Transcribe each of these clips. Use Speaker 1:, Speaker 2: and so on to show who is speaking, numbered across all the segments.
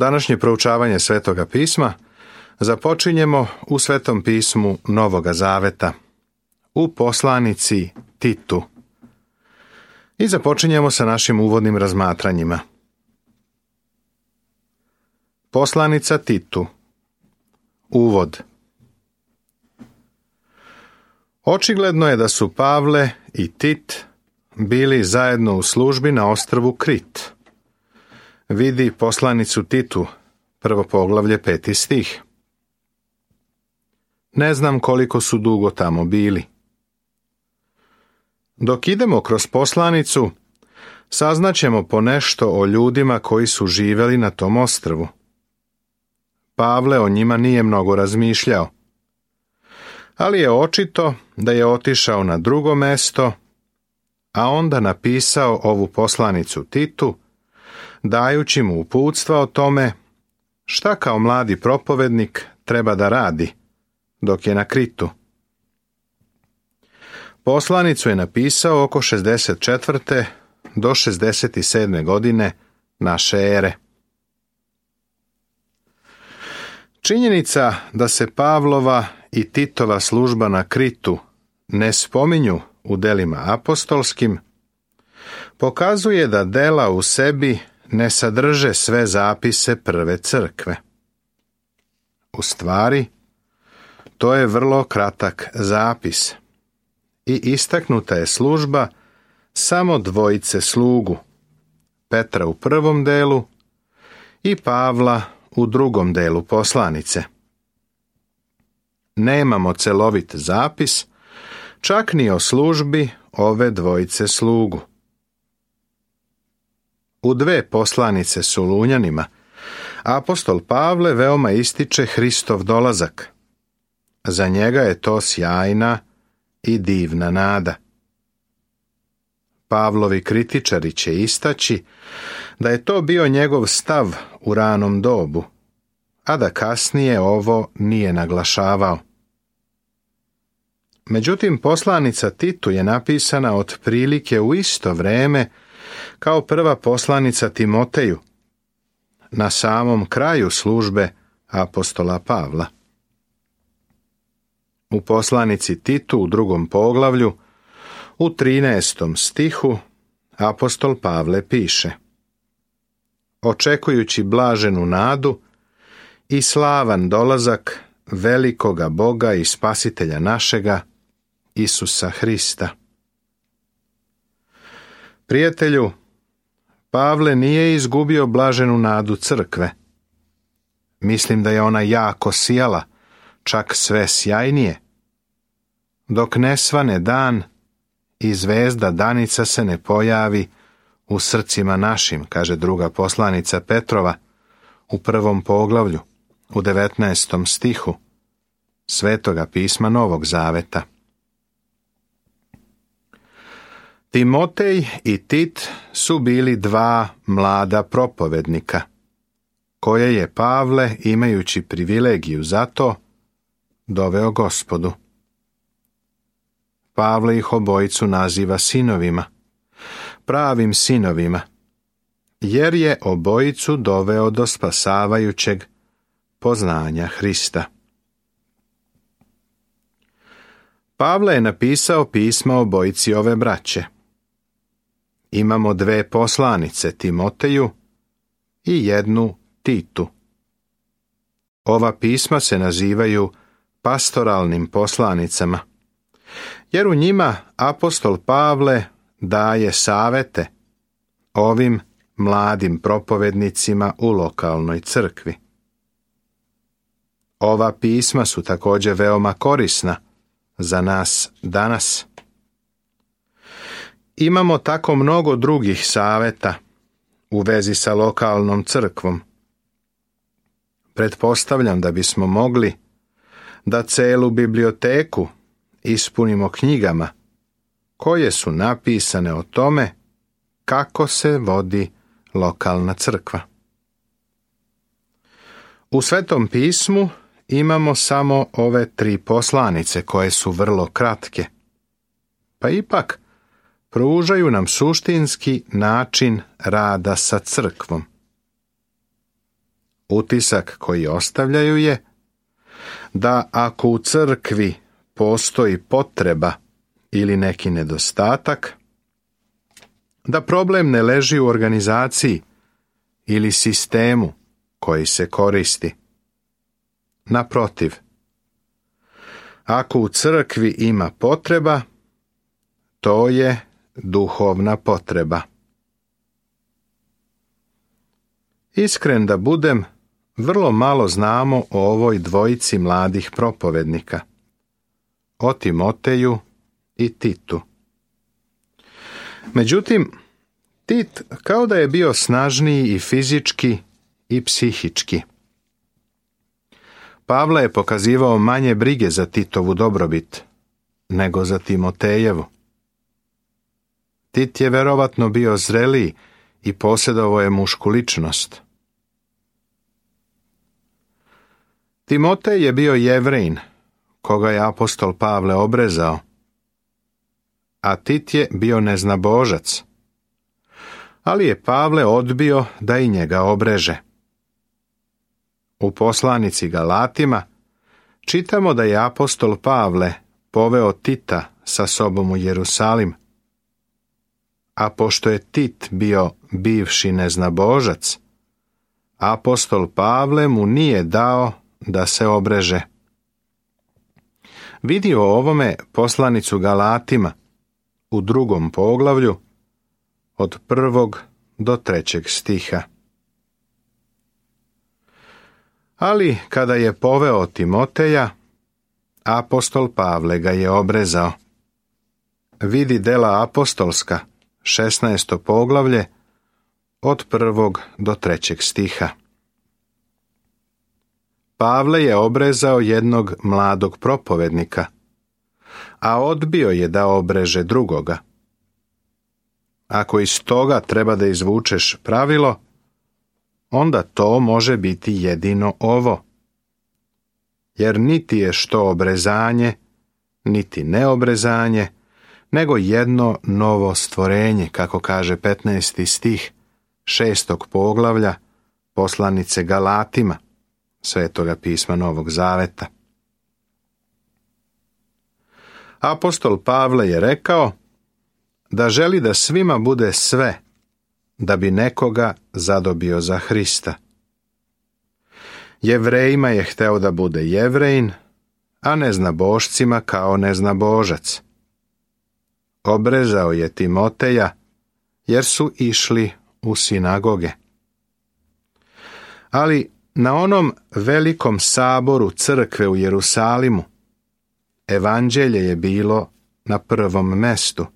Speaker 1: Današnje proučavanje Svetoga pisma započinjemo u Svetom pismu Novoga Zaveta, u poslanici Titu. I započinjemo sa našim uvodnim razmatranjima. Poslanica Titu. Uvod. Očigledno je da su Pavle i Tit bili zajedno u službi na ostrvu Krit. Vidi poslanicu Titu, 1. poglavlje, 5. stih. Ne znam koliko su dugo tamo bili. Dok idemo kroz poslanicu, saznaćemo ponešto o ljudima koji su živjeli na tom ostrvu. Pavle o njima nije mnogo razmišljao, ali je očito da je otišao na drugo mesto, a onda napisao ovu poslanicu Titu, dajući mu uputstva o tome šta kao mladi propovednik treba da radi dok je na Kritu. Poslanicu je napisao oko 64. do 67. godine naše ere. Činjenica da se Pavlova i Titova služba na Kritu ne spominju u delima apostolskim, pokazuje da dela u sebi ne sadrže sve zapise prve crkve. U stvari, to je vrlo kratak zapis i istaknuta je služba samo dvojice slugu, Petra u prvom delu i Pavla u drugom delu poslanice. Nemamo celovit zapis, čak ni o službi ove dvojice slugu. U dve poslanice Solunjanima apostol Pavle veoma ističe Hristov dolazak. Za njega je to sjajna i divna nada. Pavlovi kritičari će istaći da je to bio njegov stav u ranom dobu, a da kasnije ovo nije naglašavao. Međutim, poslanica Titu je napisana otprilike u isto vreme kao prva poslanica Timoteju, na samom kraju službe apostola Pavla. U poslanici Titu u drugom poglavlju, u 13. stihu, apostol Pavle piše: očekujući blaženu nadu i slavan dolazak velikoga Boga i Spasitelja našega, Isusa Hrista. Prijatelju, Pavle nije izgubio blaženu nadu crkve. Mislim da je ona jako sijala, čak sve sjajnije. Dok ne svane dan i zvezda danica se ne pojavi u srcima našim, kaže druga poslanica Petrova u prvom poglavlju, u 19. stihu Svetoga pisma Novog Zaveta. Timotej i Tit su bili dva mlada propovednika, koje je Pavle, imajući privilegiju za to, doveo Gospodu. Pavle ih obojicu naziva sinovima, pravim sinovima, jer je obojicu doveo do spasavajućeg poznanja Hrista. Pavle je napisao pisma obojici ove braće. Imamo dve poslanice, Timoteju i jednu Titu. Ova pisma se nazivaju pastoralnim poslanicama, jer u njima apostol Pavle daje savete ovim mladim propovednicima u lokalnoj crkvi. Ova pisma su također veoma korisna za nas danas. Imamo tako mnogo drugih saveta u vezi sa lokalnom crkvom. Pretpostavljam da bismo mogli da celu biblioteku ispunimo knjigama koje su napisane o tome kako se vodi lokalna crkva. U Svetom pismu imamo samo ove 3 poslanice koje su vrlo kratke, pa ipak pružaju nam suštinski način rada sa crkvom. Utisak koji ostavljaju je da ako u crkvi postoji potreba ili neki nedostatak, da problem ne leži u organizaciji ili sistemu koji se koristi. Naprotiv, ako u crkvi ima potreba, to je duhovna potreba. Iskren da budem, vrlo malo znamo o ovoj dvojici mladih propovednika, o Timoteju i Titu. Međutim, Tit kao da je bio snažniji i fizički i psihički. Pavle je pokazivao manje brige za Titovu dobrobit nego za Timotejevu. Tit je verovatno bio zreliji i posjedovao je mušku ličnost. Timotej je bio Jevrejin, koga je apostol Pavle obrezao, a Tit je bio neznabožac, ali je Pavle odbio da i njega obreže. U poslanici Galatima čitamo da je apostol Pavle poveo Tita sa sobom u Jerusalim, a pošto je Tit bio bivši neznabožac, apostol Pavle mu nije dao da se obreže. Vidi o ovome poslanicu Galatima u 2. poglavlju od 1. do 3. stiha. Ali kada je poveo Timoteja, apostol Pavle ga je obrezao. Vidi dela apostolska, 16. poglavlje, od 1. do 3. stiha. Pavle je obrezao jednog mladog propovednika, a odbio je da obreže drugoga. Ako iz toga treba da izvučeš pravilo, onda to može biti jedino ovo. Jer niti je što obrezanje, niti neobrezanje, nego jedno novo stvorenje, kako kaže 15. stih 6. poglavlja poslanice Galatima, Svetoga pisma Novog Zaveta. Apostol Pavle je rekao da želi da svima bude sve, da bi nekoga zadobio za Hrista. Jevrejima je hteo da bude Jevrejin, a neznabošcima kao neznabožac. Obrezao je Timoteja, jer su išli u sinagoge. Ali na onom velikom saboru crkve u Jerusalimu, evanđelje je bilo na prvom mestu.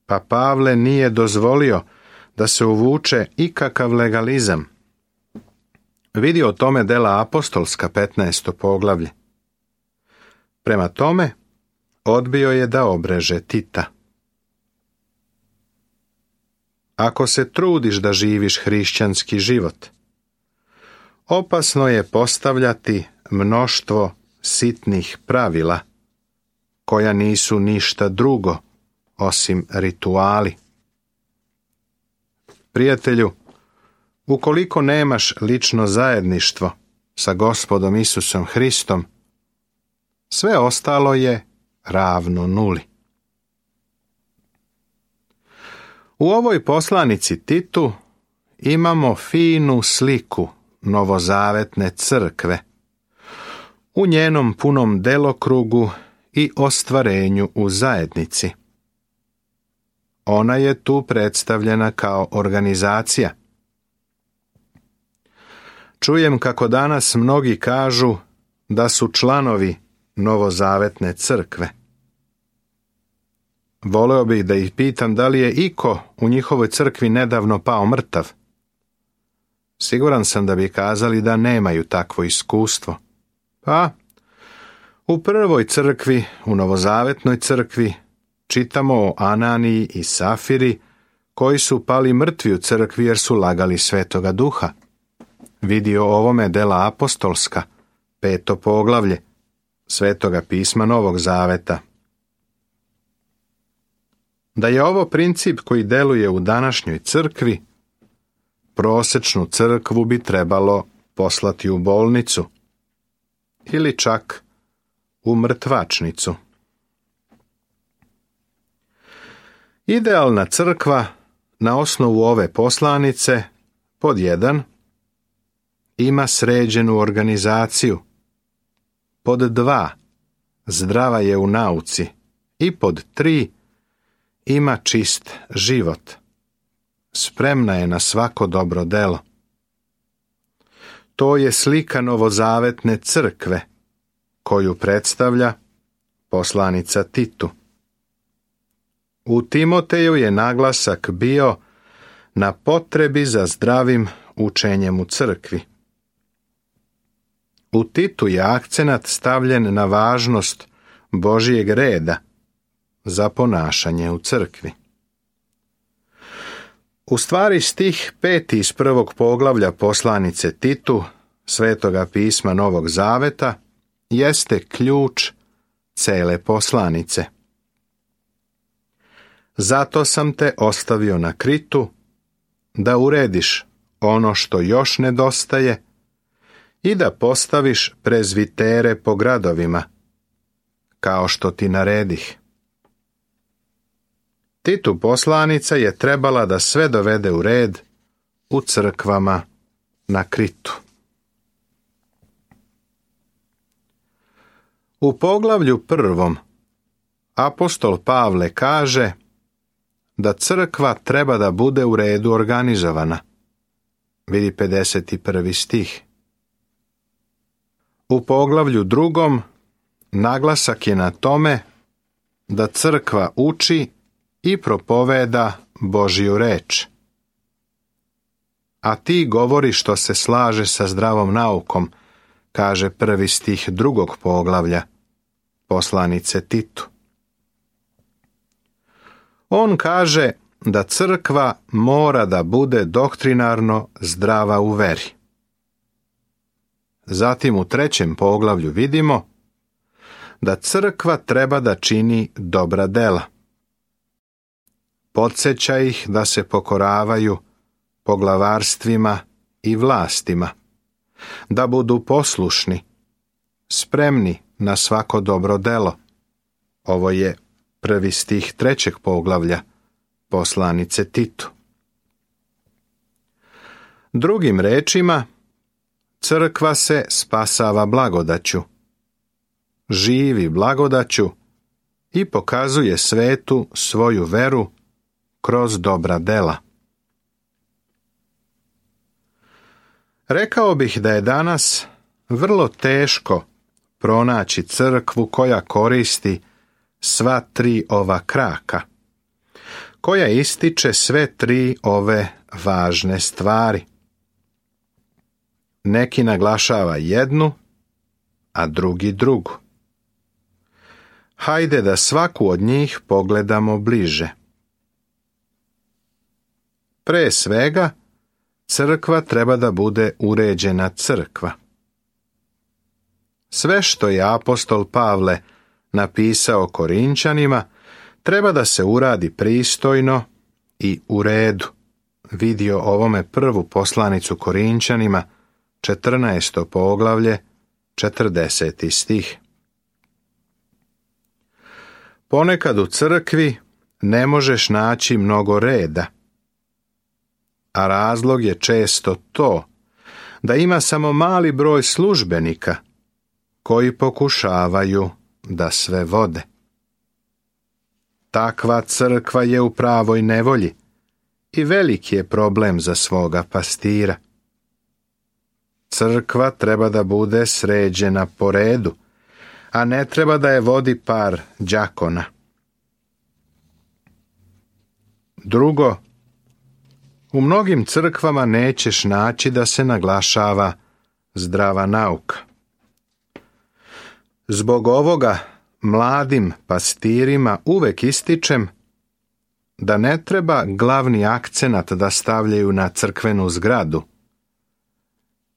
Speaker 1: Pa Pavle nije dozvolio da se uvuče ikakav legalizam. Vidi o tome dela apostolska 15. poglavlje. Prema tome, odbio je da obreže Tita. Ako se trudiš da živiš hrišćanski život, opasno je postavljati mnoštvo sitnih pravila, koja nisu ništa drugo osim rituali. Prijatelju, ukoliko nemaš lično zajedništvo sa Gospodom Isusom Hristom, sve ostalo je ravno nuli. U ovoj poslanici Titu imamo finu sliku novozavetne crkve, u njenom punom delokrugu i ostvarenju u zajednici. Ona je tu predstavljena kao organizacija. Čujem kako danas mnogi kažu da su članovi novozavetne crkve. Voleo bih da ih pitam da li je iko u njihovoj crkvi nedavno pao mrtav. Siguran sam da bi kazali da nemaju takvo iskustvo. Pa, u prvoj crkvi, u novozavetnoj crkvi, čitamo o Ananiji i Safiri, koji su pali mrtvi u crkvi jer su lagali Svetoga Duha. Vidi o ovome dela apostolska, 5. poglavlje, Svetoga pisma Novog Zaveta. Da je ovo princip koji deluje u današnjoj crkvi, prosečnu crkvu bi trebalo poslati u bolnicu ili čak u mrtvačnicu. Idealna crkva na osnovu ove poslanice pod 1 ima sređenu organizaciju, pod 2 zdrava je u nauci i pod 3 ima čist život. Spremna je na svako dobro delo. To je slika novozavetne crkve koju predstavlja poslanica Titu. U Timoteju je naglasak bio na potrebi za zdravim učenjem u crkvi. U Titu je akcenat stavljen na važnost Božjeg reda za ponašanje u crkvi. U stvari stih 5. iz 1. poglavlja poslanice Titu, Svetoga pisma Novog Zaveta, jeste ključ cele poslanice. Zato sam te ostavio na Kritu, da urediš ono što još nedostaje i da postaviš prezvitere po gradovima, kao što ti naredih. Titu poslanica je trebala da sve dovede u red u crkvama na Kritu. U poglavlju 1. apostol Pavle kaže da crkva treba da bude u redu organizovana. Vidi 51. stih. U poglavlju 2. naglasak je na tome da crkva uči i propoveda Božju reč. A ti govori što se slaže sa zdravom naukom, kaže 1. stih 2. poglavlja poslanice Titu. On kaže da crkva mora da bude doktrinarno zdrava u veri. Zatim u 3. poglavlju vidimo da crkva treba da čini dobra dela. Podsjeća ih da se pokoravaju poglavarstvima i vlastima, da budu poslušni, spremni na svako dobro delo. Ovo je 1. stih 3. poglavlja poslanice Titu. Drugim rečima, crkva se spasava blagodaću, živi blagodaću i pokazuje svetu svoju veru kroz dobra dela. Rekao bih da je danas vrlo teško pronaći crkvu koja koristi sva 3 ova kraka, koja ističe sve 3 ove važne stvari. Neki naglašava jednu, a drugi drugu. Hajde da svaku od njih pogledamo bliže. Pre svega, crkva treba da bude uređena crkva. Sve što je apostol Pavle napisao Korinčanima treba da se uradi pristojno i u redu. Vidio ovome prvu poslanicu Korinčanima, 14. poglavlje, 40. stih. Ponekad u crkvi ne možeš naći mnogo reda, a razlog je često to da ima samo mali broj službenika koji pokušavaju da sve vode. Takva crkva je u pravoj nevolji i veliki je problem za svoga pastira. Crkva treba da bude sređena po redu, a ne treba da je vodi par đakona. Drugo, u mnogim crkvama nećeš naći da se naglašava zdrava nauka. Zbog ovoga mladim pastirima uvek ističem da ne treba glavni akcenat da stavljaju na crkvenu zgradu,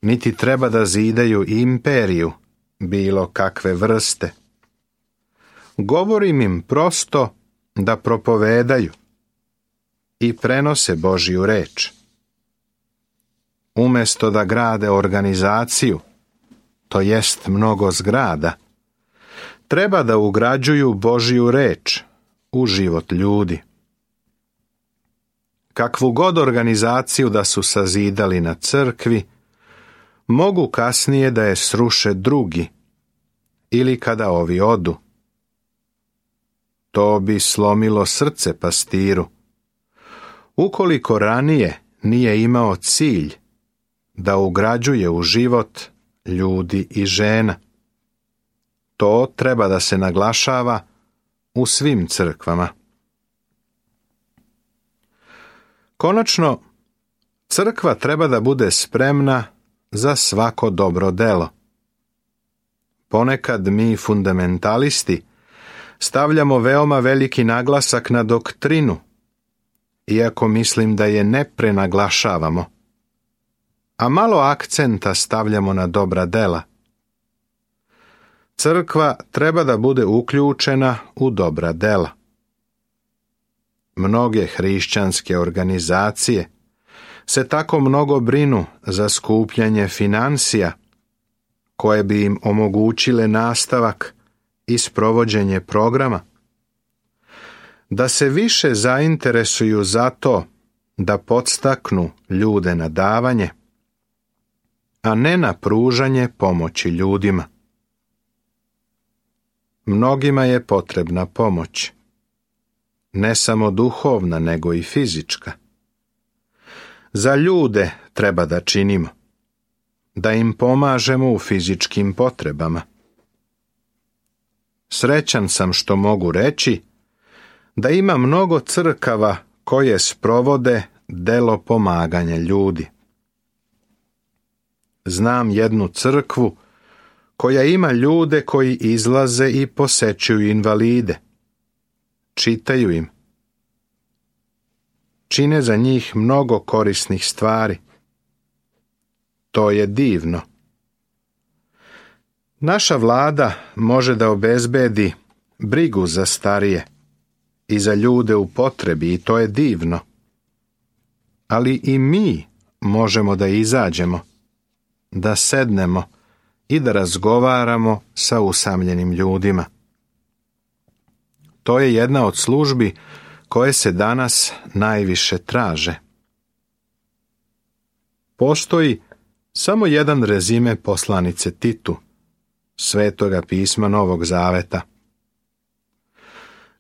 Speaker 1: niti treba da zidaju imperiju bilo kakve vrste. Govorim im prosto da propovedaju i prenose Božju reč. umjesto da grade organizaciju, to jest mnogo zgrada, treba da ugrađuju Božju reč u život ljudi. Kakvu god organizaciju da su sazidali na crkvi, mogu kasnije da je sruše drugi ili kada ovi odu. To bi slomilo srce pastiru, ukoliko ranije nije imao cilj da ugrađuje u život ljudi i žena. To treba da se naglašava u svim crkvama. Konačno, crkva treba da bude spremna za svako dobro delo. Ponekad mi fundamentalisti stavljamo veoma veliki naglasak na doktrinu, iako mislim da je ne prenaglašavamo, a malo akcenta stavljamo na dobra dela. Crkva treba da bude uključena u dobra dela. Mnoge hrišćanske organizacije se tako mnogo brinu za skupljanje financija, koje bi im omogućile nastavak i sprovođenje programa, da se više zainteresuju za to da podstaknu ljude na davanje, a ne na pružanje pomoći ljudima. Mnogima je potrebna pomoć, ne samo duhovna, nego i fizička. Za ljude treba da činimo, da im pomažemo u fizičkim potrebama. Srećan sam što mogu reći da ima mnogo crkava koje sprovode delo pomaganja ljudi. Znam jednu crkvu koja ima ljude koji izlaze i posećuju invalide, čitaju im, čine za njih mnogo korisnih stvari. To je divno. Naša vlada može da obezbedi brigu za starije i za ljude u potrebi i to je divno. Ali i mi možemo da izađemo, da sednemo i da razgovaramo sa usamljenim ljudima. To je jedna od službi koje se danas najviše traže. Postoji samo jedan rezime poslanice Titu, Svetoga pisma Novog Zaveta.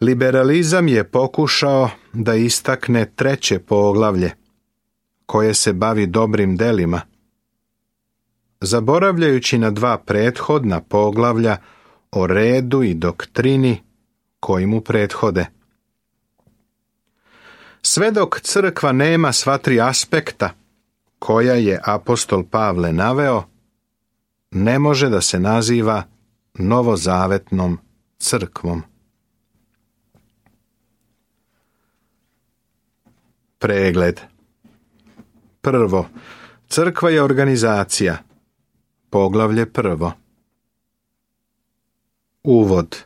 Speaker 1: Liberalizam je pokušao da istakne 3. poglavlje, koje se bavi dobrim delima, zaboravljajući na 2 prethodna poglavlja o redu i doktrini koji mu prethode. Sve dok crkva nema sva 3 aspekta koja je apostol Pavle naveo, ne može da se naziva novozavetnom crkvom. Pregled. Prvo, crkva je organizacija. Poglavlje 1. Uvod.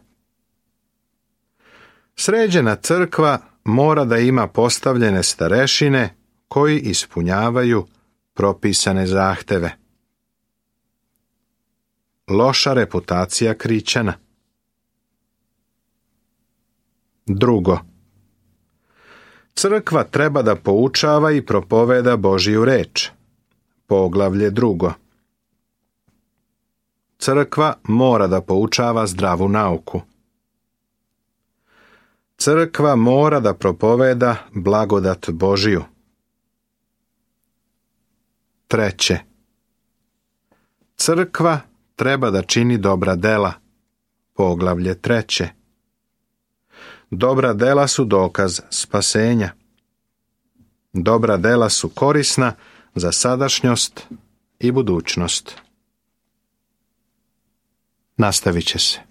Speaker 1: Sređena crkva mora da ima postavljene starešine koji ispunjavaju propisane zahteve. Loša reputacija Krićana. Drugo, crkva treba da poučava i propoveda Božju reč. Poglavlje 2. Crkva mora da poučava zdravu nauku. Crkva mora da propoveda blagodat Božju. Treće, crkva treba da čini dobra dela. Poglavlje 3. Dobra dela su dokaz spasenja. Dobra dela su korisna za sadašnjost i budućnost. Nastavit će se.